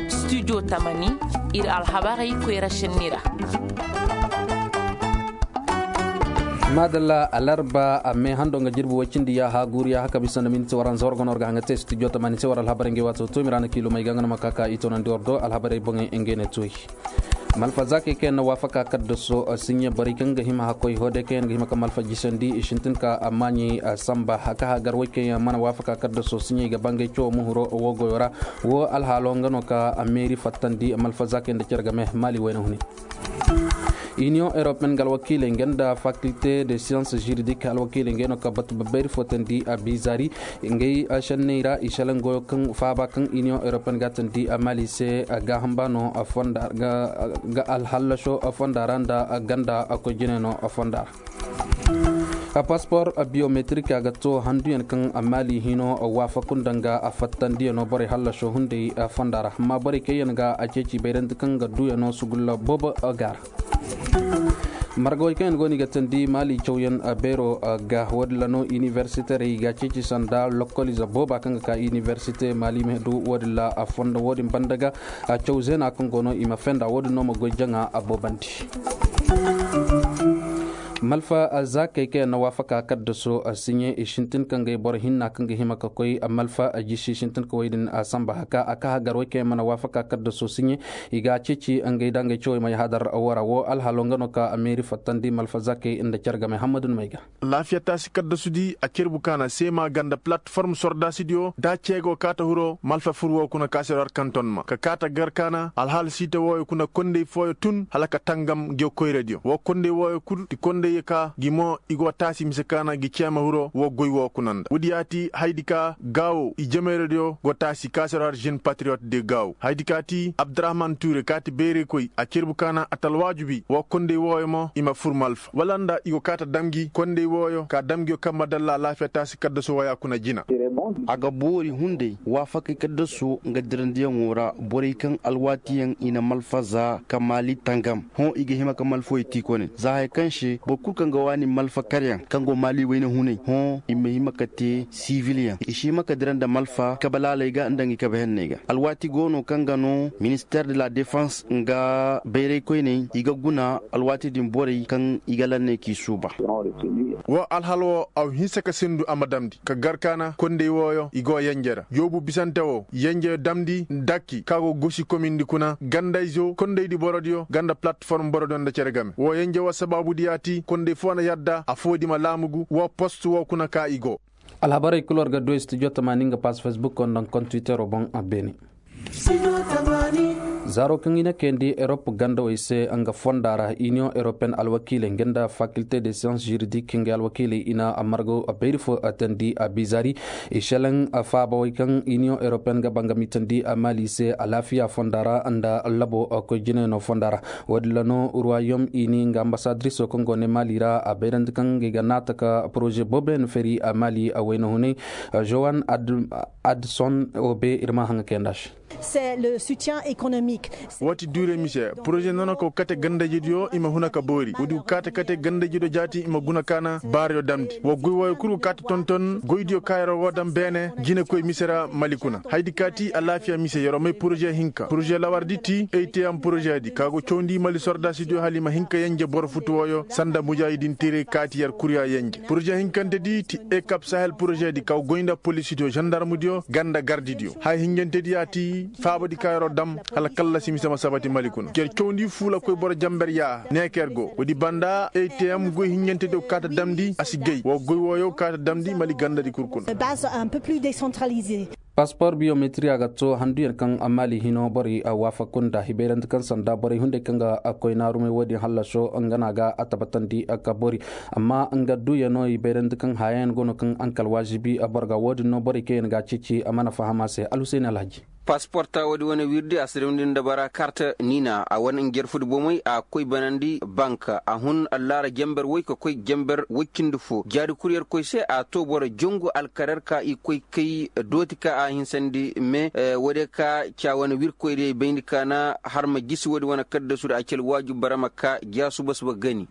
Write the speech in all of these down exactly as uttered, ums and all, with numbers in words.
Studio tamani, ir alhabarey koyra šenni ra. Maadalla alarba a mee hando nga jirbi woy cindi yaaha guuru yaaha kabi sanda minti waranza war go no war ga haŋ ga te studio tamani se war alhabarey ngey waato toomi ra na kiilumey ga nga no ma ka ka i toonandi war do alhabarey boŋey ngey ne tooy. Malfa zaakey kaŋ yaŋ na waafaka kaddaso siɲe borey kaŋ ga hima hakkoy hoodey kaŋ yaŋ ga hima ka malfa jisandi i sintin ka a maaɲey samba ka hagar woy kaŋ yaŋ mana waafaka kaddaso siɲe i ga bangay cawo muhuro wo goyo ra. Wo alhaalo nga no ka meeri fattandi malfa zaakey nda cere game maali wayna hune. Iniyoŋ europeen ga alwakiiley nga nda fakilte de siyans jiridik alwakiiley ngey no ka batu babbayri fotandi a biizaari. Ngey šenney ra i šelaŋ goyo kaŋ faaba kaŋ iniyoŋ europeen ga a tandi a maali se. Gaaham ba no fonda ga alhallaso fonda ra nda ganda koy jine no fonda ra. Passport biometrique a ga to handuyaŋ kaŋ maali hino waafaku nda nga a fattandiyano borey hallaso hunday fonda ra amma borey kaŋ yaŋ ga a ceeci bayrandi kaŋ ga duuyano sugulla boobo ga ra. Margawey kaŋ yaŋ go no i ga tandi maali cawyaŋ beero ga woodin ra no inibersiterey ga ceeci sanda lokkolize booba kaŋ ga ka inibersite maali ma du woodin ra a fondo woodin banda ga. Caw zeena kaŋ go no i ma fenda woodin no ma goy jaŋa a boobandi. Malfa zaakey kaŋ yaŋ na waafaka kaddaso siɲe i sintin ka ngey boro hinna kaŋ ga hima ka koy malfa jisi sintin ka wey din samba haka a ka hagar wey kaŋ yaŋ mana waafaka kaddaso siɲe. I ga ceeci ngey da ngey cawey may hadar wara wo alhalo nga no ka meeri fattandi malfa zaakey nda care game hammadu ni may ga. Laafiya taasi kaddasudi a cerbu kaana seema ganda platform sordaasidiyo da ceego kaata huro malfa fur woo kuna ka se war kanton ma ka kaata gar kaana alhaal siita wooyo kuna kondey fooyo tun hala ka tangam ngiyo koyradiyo woo kondey wooyo kul ti kondey ka ngi mo i go taasi mise kaana ngi ceema huro woo goy woo kuna nda woodi yaati haydi ka gaawo i jemeyradiyo go taasi ka se war jeune patriyot de gaawo haydi ka ti abdurahman tuure ka ti beerey koy a cerbu kaana a talwaajubi woo kondey wooyo mo i ma fur malfa wala nda i go kaata damgi kondey wooyo ka damgiyo kaŋ ma dalla alaafiya taasi kaddaso waya kuna jina. A ga boori hunday waafakey kaddaso nga dirandiyaŋo ra borey kaŋ alwaatiyaŋ i na malfaza ka maali tangam hõ i ga hima ka malfawey tiikone za haya kaŋ se boro kul kaŋ ga waani malfa karyaŋ kaŋ go maali wayna hunay hõ i ma hima ka te sivilyaŋ i si hima ka dira nda malfa kabalaaley ga nda ngi kabahenney ga alwaati go no kaŋ ga no minister de la defense nga bayraykoyney i ga guna alwaati din borey kaŋ i ga lanney k'i suuba. Woo alhal woo a wa hinsa ka sindu a ma damndi ka gar kaana kondey wooyo i go yenje ra joobu bisante woo yenjeyo damndi dakki ka go gosi komindi kuna gandayzo kondeydi borodiyo ganda platform borodiyo nda cere game woo yenje woo sabaabudi yaati kondey foo na yadda afoo di ma laamugu woo post woo kuna ka i go. Alhabarey kul war ga du studio tamaani nga pass facebook woo nda nga kontwitero boŋ a beene. Zaaro kaŋ i na kayandi erop gandawey se nga fonda ra iniyoŋ eropeen alwakiiley nga nda fakilte de siyans jiridik ngey alwakiiley i na margo bayri fo tandi a bizaari. I šelaŋ faabawey kaŋ iniyoŋ eropeen ga ba nga mitandi a maali se alaafiya fonda ra nda labo koy jinayno fonda ra. Woodin ra no ruwayom ini nga ambasadiriso kaŋ go ne maali ra a bayrandi kaŋ ngey ga naata ka poroze booboyaŋ feri a maali a wayna hunay. Jowan adson obe ir ma haŋa kayanda se. Woo ti duure mise poroze noona ka go kate gandaydiyo i ma huna ka boori woodi go kaate kate gandaydiyo jaati i ma guna kaana baarayo damndi woo goy wooyo kul go kaate tonton goydiyo ka yer'o go dam beene jinekoy mise ra mali kuna hayadi ka ti alaafiya mise yer'o may poroze hinka poroze lawardi ti eyteyam porozedi ka go cawndi mali sordaasidiyo hala i ma hin ka yenje boro futu wooyo sanda mujaahidinteerey kaati yer kurya yenje poroze hinkantedi ti ekap sahel porozedi ka go goy nda polisidiyo zandarmudiyo ganda gardidiyo haya hinjantedi ya ti faabadi ka yer'o dam hala kallasi mise ma sabati mali kuna yer cawndi fuula koy boro jamber yaaha neeker go woodi banda eyteyam goy hinjantedi go kaata damndi a si gay woo goy wooyo go kaata damndi mali gandadi kul kuna. Passeport biometri a ga to handuyaŋ kaŋ maali hino borey waafaku nda hibayrante kaŋ sanda borey hunday kaŋ ga koy naarumey woodin hallaso nga no a ga a tabatandi ka boori. Amma nga duuyano hibayrante kaŋ hayayaŋ go no kaŋ ankal waazibi boro ga woodin no borey kaŋ yaŋ ga a ceeci a mana faham a se alhuseeni alhaji. Pasporta woodi wane wirdi a si rimndi nda bara karta niina a wane njarfudi bomey a koy banandi bank a hun allaara jamber woy ka koy jamber woy cindi fo jaari kuryer koy se a to boro jongu alkarer ka i koy kay dooti ka a hinsandi me woodiyo ka ca wane wirkoydiyo i bayndi ka na har ma gisi woodi wane kaddasudi a ci alwaaju bara ma ka ja suba suba gani.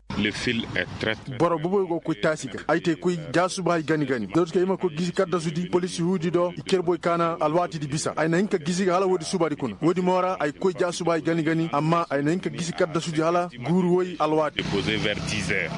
Boro boboyo go koy taasi ga ay te koy ja suba hay gani gani dooti ka i ma koy gisi kaddasudi polisi huudi do i cer boy ka na alwaatidi bisa ay na hin ka gisi ga hala woodi subadi kuna woodi mo ra ay koy ja suba hay gani gani amma ay na hin ka gisi kaddasudi hala guuru woy alwaati.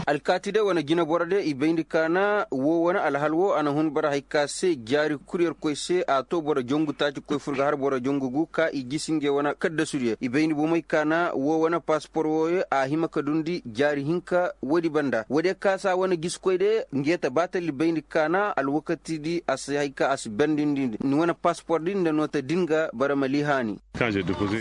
Alkaati de wane jineboro de i bayndi ka na woo wane alhal woo a na hun bara hay ka se jaari kuryer koy se a to boro jongu taaci koy fur ga har boro jongu gu ka i gisi ngey wane kaddasudiyo i bayndi bomey ka na woo wane paspor wooyo a hima ka dundi jaari hinka woodi banda woodiyo ka se a wane gisikoy de ngeeta ba talli bayndi ka na alwakatidi a si hay ka a si bendindi ni wane paspor din nda noota din ga bara ma liihaani.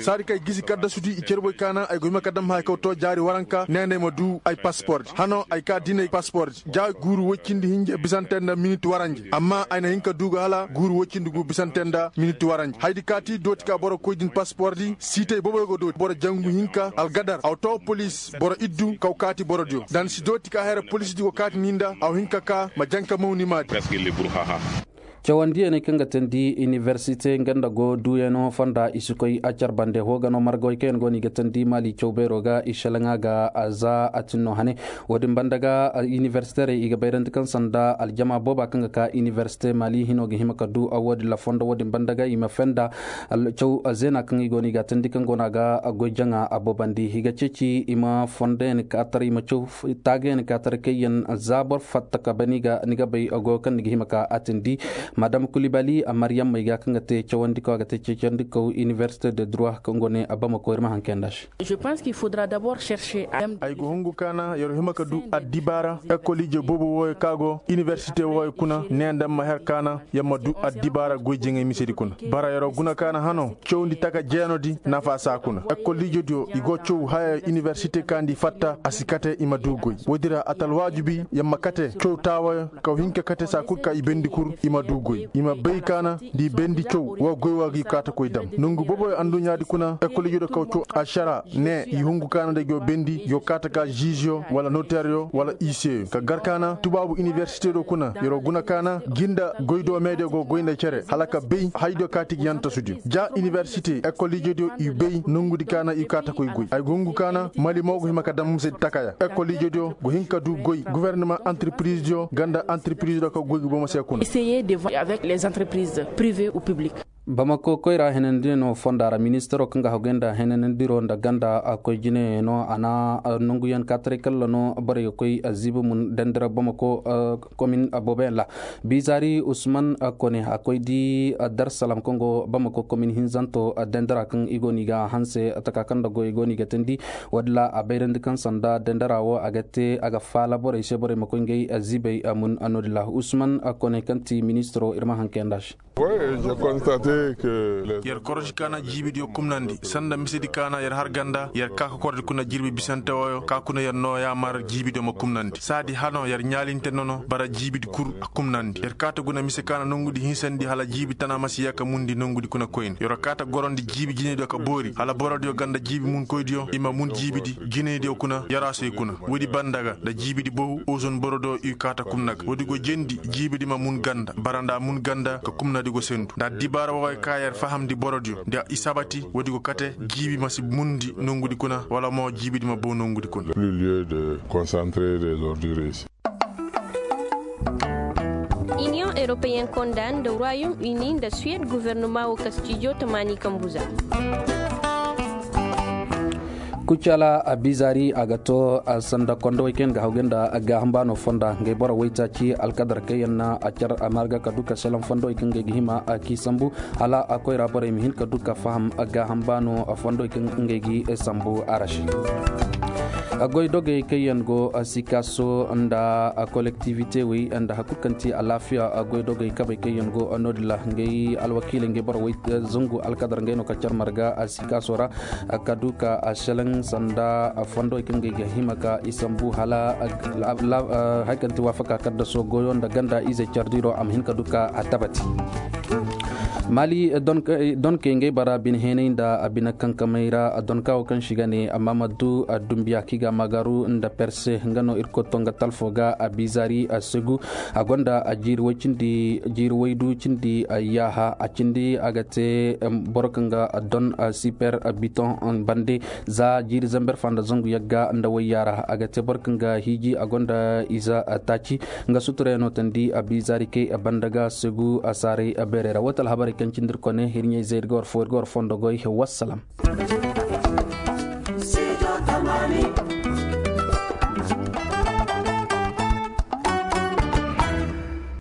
Saadi kaŋ ay gisi kaddasudi i cerboy kaana ay go hima ka dam haya kaw to jaari waranka ne nda ay ma du ay paspordi hano ay ka dinay paspordi ja guuru woy cindi hinja bisante nda minit waranje amma ay na hin ka du ga hala guuru woy cindi gu bisante nda minit waranje haydi kaati dooti ka boro koy din paspordi siitay boboy go dooti boro jangu hinka algadar aw to polis boro iddu kaw kaati borodiyo da ni si dooti ka haya ra polisdi go kaati ni nda aw hin ka ka ma janka maw ni maadi. Cawandiyaney kaŋ ga teendi inibersite nga nda go duuyano fonda i si koy a car bande hoo ga no margawey kaŋ yaŋ go no i ga teendi maali caw beero ga i šelaŋa ga za a tin no hane. Wo-din banda ga inibersiterey i ga bayrandi kaŋ sanda aljama booba kaŋ ga ka inibersite maali hino ga hima ka du a wo-din ra fondo wo-din banda ga i ma fenda caw zeena kaŋ i go no i ga a teendi kaŋ go no a ga goy jaŋa a boobandi i ga ceeci i ma fondo yaŋ ka tar i ma caw taagayaŋ ka tar kayyaŋ za boro fatta ka ba ni ga bay goyo kaŋ ni ga hima ka a tindi. Madam kulibali a maryam may ga kaŋ ga te cawandi kaŋ a ga te cawandi kaw inibersite de droit kaŋ go ne a bama koy ir ma haŋ kayyaŋ nda se. Ay ga hungu kaana yer hima ka du addibaara ekol ije boobo wooyo kaŋ a go inibersite wooyo kuna ne nda ma her kaana yer ma du addibaara goy jaŋay misedi kuna bara yer guna kaana hano cawandi taka jeenodi nafa saa kuna ekol ijediyo i go caw haya inibersite kaandi fatta a si kate i ma du goy woodi ra a ta alwaajibi yer ma kate caw taawayo kaw hinka kate saa kul ka i bendi kul i ma du goy i ma bay kaana nda i bendi caw woo goy woo ga i kaata koy dam nongu booboyo anduɲaadi kuna ekol ijediyo kaw caw ašara ne i hungu kaana nda i go bendi i go kaata ka žiiziyo wala noteryo wala iseyo ka gar kaana tubaabu inibersite do kuna yer guna kaana gi nda goy doomeediyo go goy nda cere hala ka bay haydiyo kaati ga yantasudiyo ja inibersite ekol ijediyo i bay nongudi kaana i kaata koy goy ay go hungu kaana mali mo go hima ka dam misedi takaya ekol ijediyo go hin ka du goy gofornama antirpirizidiyo nga nda antirpirizidiyo kaŋ goy ga bomo se kuna. Bamako koyra henandirey no fonda ra ministaro kaŋ ga haguyaŋ nda henanandiro nda ganda koy jine no a na nonguyaŋ kaataray kalla no borey ga koy ziibi mun dandira bamako komin booboyaŋ ra. Bizaari usman kone a koy di darsalam kaŋ go bamako komin hinzanto dandira kaŋ i go no i ga hanse taka kaŋ nda goy i go no i ga teendi. Woodin ra a bayrandi kaŋ sanda dandira wo a ga te a ga faala borey se borey ma koy ngey ziibey mun noodin ra usman kone kaŋ ti ministiro ir ma haŋ kayyaŋ nda se. Yer korosi kaana jiibidiyo kumnandi sanda misedi kaana yer har ganda yer kaa kokordi kuna jirbi bisante wooyo ka kuna yer noo yaamar jiibidiyo ma kumnandi saadi hano yer ɲaalinte nono bara jiibidi kul a kumnandi yer kaata guna mise kaana nongudi hinsandi hala jiibi tana ma si yee ka mundi nongudi kuna koyne yer kaata gorondi jiibi jinediyo ka boori hala borodiyo ganda jiibi munkoydiyo i ma mun jiibidi jinediyo kuna yarasoy kuna woodi banda ga nda jiibidi bow ozon borodiyo i kaata kumna ga woodi go jendi jiibidi ma mun ganda bara nda a mun ganda ka kumnadi go sendu nda addibaara wooyo ka yer fahamndi borodiyo nda i sabati woodi go kate jiibi ma si mundi nongudi kuna wala mo jiibidi ma bow nongudi kuna. Iniyoŋ europeyen konda nda royaume uni nda suwed guvernuma wo kastijo tamaani kambuza. Kucala a bizaari a ga to sanda kondowey kaŋ yaŋ ga hawgay nda gaaham baano fonda ngey boro waytaaci alkadar kaŋ yaŋ na a car a marga ka du ka salaŋ fondowey kaŋ ngey ga hima a k'i sambu hala a koyra borey ma hin ka du ka faham gaaham baano fondowey kaŋ ngey ga sambu a ra se. Goy dogey kaŋ yaŋ go sikaaso nda kolektivite wey nda hakul kaŋ ti alaafiya goy dogey kabey kaŋ yaŋ go noodin ra ngey alwakiiley ngey boro wey zangu alkadar ngey no ka car marga sikaaso ra ka du ka selaŋ sanda fondowey kaŋ ngey ga hima ka i sambu hala hari kaŋ ti waafaka kaddaso goyo nda ganda izey cardiro a ma hin ka du ka a tabati. Maali donkey ngey bara bine heenay nda a bine kankamey ra. Donka wo kaŋ si ga ne amma ma du dumbiya kaŋ i ga a maagaru nda perse nga no ir koy to nga talfo ga a biizaari a segu. A gonda a jiiri way cindi jiiri waydu cindi yaaha a cindi a ga te boro kaŋ ga don siper biton bande. Za jiiri zamber fa nda zangu yagga nda wayya ra a ga te boro kaŋ ga hiiji a gonda ize taaci. Nga suturayano tandi a biizaari kay banda ga segu a saaray beerey ra woo te alhabarey kaŋ cindi ir kone ir ɲayzey ir ga war fo ir ga war fondo goy. Wassalam.